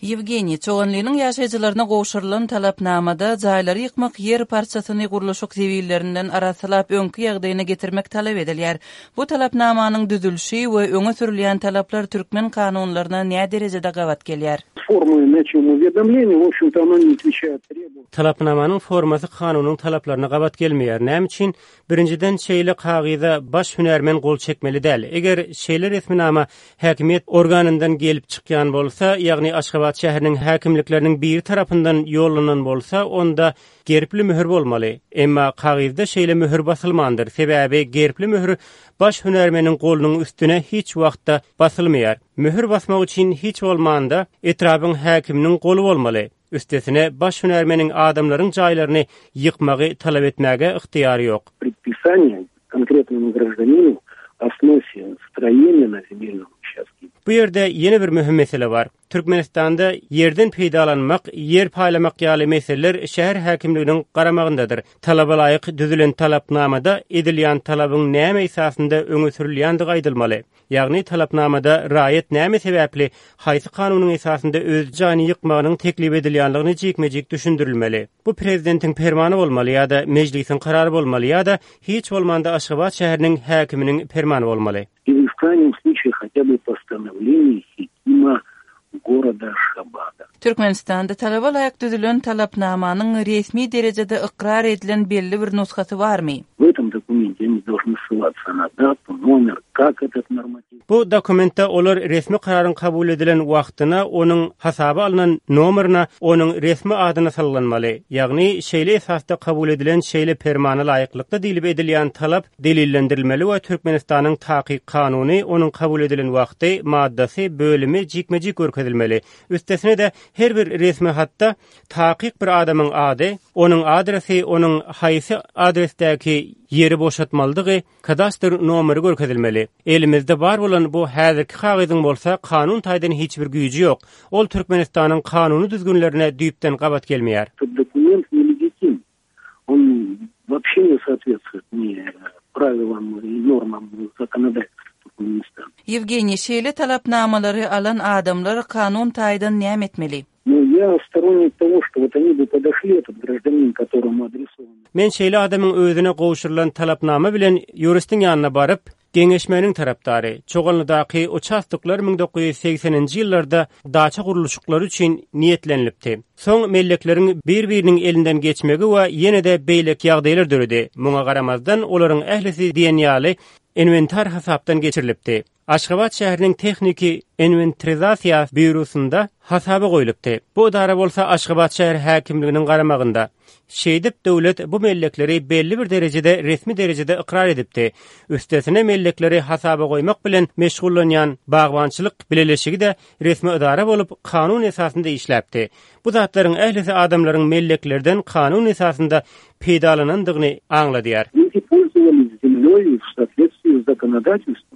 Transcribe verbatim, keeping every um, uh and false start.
Ýewgeniý, Çoganlynyň ýaşaýjylaryna gowşurylan talapnamada jaýlary ýykmak ýer parçasyny gurluşyk zibillerinden arassalap öňki ýagdaýyna getirmek talap edilýär. Bu talapnamanyň düzülişi we öňe sürülýän talaplar türkmen kanunlaryna nä derejede gabat gelýär? Формы начал уведомления, в общем-то, оно не отвечает требованиям. Talapnamanyň formasy kanunyň talaplaryna gabat gelmeýär. Näme üçin? Birinjiden şeýle kagyza baş hünärmen gol çekmeli däl. Eger şeýle resminama häkimiýet organyndan gelip çykýan bolsa, ýagny Aşgabat şäheriniň häkimlikleriniň biri tarapyndan ýollanan bolsa, onda gerbli möhür bolmaly. Emma kagyzda şeýle möhür basylmandyr. Sebäbi gerbli möhür baş hünärmeniň golunyň üstüne hiç wagtda basylmaýar. Möhür basmak üçin hiç bolmanda etrabın häkiminiň goly bolmaly. Üstesine baş hünärmeniň adamlaryň jaýlaryny ýykmagy talap etmäge ygtyýary ýok. Предписание конкретному гражданину о сносе строения на земельном участке. Bu ýerde ýene bir möhüm mesele bar. Türkmenistanda ýerden peýdalanmak, ýer paýlamak ýaly meseleler şäher häkimliginiň garamagyndadyr. Talaba laýyk düzülen talapnamada edilýän talabyň näme esasynda öňe sürülýändigi aýdylmaly. Ýagny talapnamada raýat näme sebäpli haýsy kanunyň esasynda öz jaýyny ýykmagynyň teklip edilýänligini jikme-jik düşündirilmeli. Bu prezidentiň permany bolmaly ýa-da mejlisiň karary bolmaly ýa-da hiç bolmanda Aşgabat şäheriniň häkiminiň permany bolmaly. Или в крайнем случае хотя бы постановление хокима города Ашхабада. Türkmenistanda talaba laýyk düzülen talapnamanyň resmi derejede ykrar edilen belli bir nusgasy barmy? В этом документе они должны ссылаться на дату, номер, как этот норматив. Bu dokumentde olar resmi kararyň kabul edilen wagtyna, onuň hasaba alynan nomerine, onuň resmi adyna sallanmaly. Ýagny şeýle esasda kabul edilen şeýle permana laýyklykda diýlip edilýän talap delillendirilmeli we Türkmenistanyň takyk kanuny, onuň kabul edilen wagty, maddasy, bölümi jikme-jik görkezilmeli. Üstesine de her bir resmi hatda takyk bir adamyň ady, onuň adresi, onuň haýsy adresdäki ýeri boşatmalydygy, kadastr nomeri görkezilmeli. Elimizde bar bolan bu häzirki kagyzyň bolsa kanun taýdan hiç bir güýji ýok. Ol Türkmenistanyň kanuny düzgünlerine düýpden gabat gelmeýär. Этот документ нелегитим. Он вообще не соответствует ни правилам и нормам законодательства Туркменистана. Ýewgeniý, şeýle talapnamalary alan adamlar kanun taýdan näme etmeli? Но я сторонник того, что вот они бы подошли, этот гражданин, которому адресован Men şeýle adamyň özüne gowşurylan talapnama bilen ýuristiň ýanyna baryp, geňeşmäniň tarapdary, Çoganlydaky uçastoklar müň dokuz ýüz sekseninji ýyllarda daça gurluşyklary üçin niýetlenilipdi. Soň mellekleriň bir-biriniň elinden geçmegi we ýene-de beýleki ýagdaýlar döredi. Muňa garamazdan olaryň ählisi diýen ýaly inwentar hasapdan geçirilipdi. Aşgabat şäheriniň tehniki inwentarizasiýa býurosynda hasaba goýlupdy. Bu idara bolsa Aşgabat şäher häkimliginiň garamagynda. Şeýdip döwlet bu mellekleri belli bir derejede resmi derejede ykrar edipdi. Üstesine mellekleri hasaba goýmak bilen meşgullanýan bagbançylyk bileleşigi de resmi idara bolup kanun esasynda işläpdi. Bu zatlaryň ählisi adamlaryň melleklerden kanun esasynda peýdalanandygyny aňladýar. Люди пользовались землей в соответствии с законодательством.